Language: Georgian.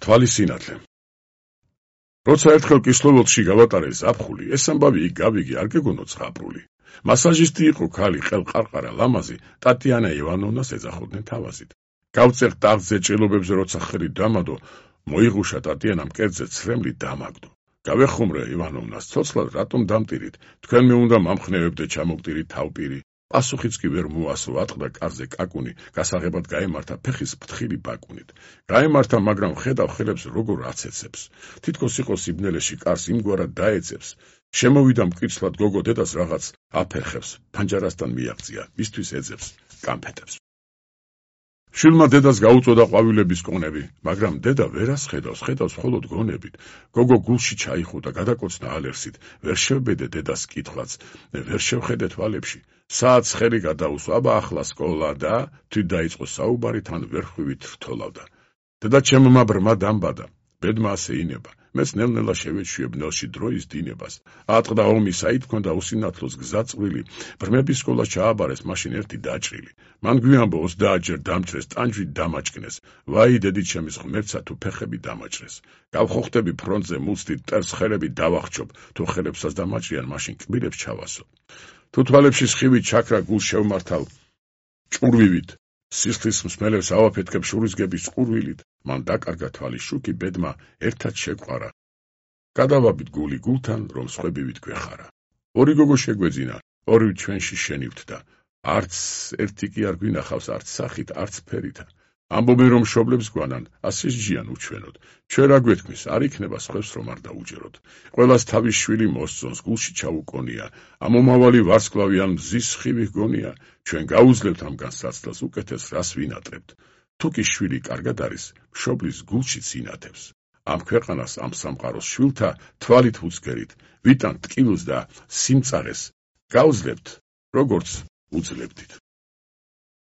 თვალის სინათლე. როცა ერთხელ კისლოვოდში გავატარე ზაფხული, ეს ამბავი იქ გავიგე არ გეგონოთ ზღაპრული. მასაჟისტი იყო ქალი ყელყარყარა ლამაზი, ტატიანა ივანოვნას ეძახოდნენ თავაზით. გავწერ ტაღზე ჭრილობებზე როცა ხელი დამადო, მოიღუშა ტატიანამ კერძზე ცრემლი დამაგდო. გავეხუმრე ივანოვნას ცოცხლად რატომ დამტირით, თქვენ მე უნდა მამხნევებდე ჩამოგტირით თავპირი. პასუხიც კი ვერ მოასო, ატყდა კარზე კაკუნი, გასაღებად გაემართა ფეხის ფრთხილი ბაკუნით. გაემართა, მაგრამ ხედავ ხელებს როგორ აცეცებს. თითქოს იყო სიბნელეში კარს იმგვარად დაეცებს. შემოვიდა მკიცლად გოგო დედას რაღაც აფერხებს, ფანჯარასთან მიაღწია, მისთვის ეძებს, კამფეტებს. შვილმა დედას გაუწოდა ყვავილების კონები, მაგრამ დედა ვერას ხედავს მხოლოდ გონებით. გოგო გულში ჩაიხუტა, გადაკოცნა ალერსით, ვერ შევბედე დედას კითხვაც, ვერ შევხედე თვალებში. საათს ხელი გადაუსვა, აბა ახლა სკოლა და თვით დაიწყო საუბარი, თან ვერხვივით რთოლავდა. დედა ჩემმა ბრმა დამბადა, ბედმა ასე ინება. მეც ნელ-ნელა შევეჩვიე ბნელში დროის დინებას. ატყდა ომი, საით ჰქონდა უსინათლოს გზა წვრილი. ბრმების სკოლა ჩააბარეს, მაშინ ერთი დაჭრილი. მან გვიამბო 30 ჯერ დამჭრეს, ტანჯვით დამაჭკნეს. ვაი დედით ჩემის ღმერთსა, თუ ფეხები დამაჭრეს. გავხოხდები ფრონტზე მუცდით, ტერს ხელები დავახჩობ, თუ ხელებსაც დამაჭრიან, მაშინ კბილებს ჩავასო. თუ თვალებში სხივით ჩაქრა გულს შევმართავ ჭურვივით. სისხლის მსმელებს ავაფეთქებ შურისგების ყურვილით. მან დაკარგა თვალის შუქი, ბედმა ერთად შეგვარა. გადავაბით გული გულთან, რომ სხვებივით გვეხარა. ორი გოგო შეგვეძინა, ორივე ჩვენში შენივთდა. არც ერთი კი არ გვინახავს, არც სახით, არც ფერითა. ამბობენ რომ მშობლებს გვანან, ასე სჯიან უჩვენოდ. ჩვენ რა გვეთქმის, არ იქნება სხვებს რომ არ დაუჯეროთ. ყველას თავის შვილი მოსწონს, გულში ჩაუკონია. ამომავალი ვარსკვლავი ან მზის სხივი გონია. ჩვენ გაუძლებთ ამ განსაცდელს, უკეთეს რას ვინატრებთ. თუ კი შვილი კარგად არის, მშობლის გულშიც ინათებს. ამ ქვეყანას, ამ სამყაროს შვილთა თვალით ვუცგერით, ვიტანთ ტკივილს და სიმწარეს, გავძლებთ, როგორც უძლებდით.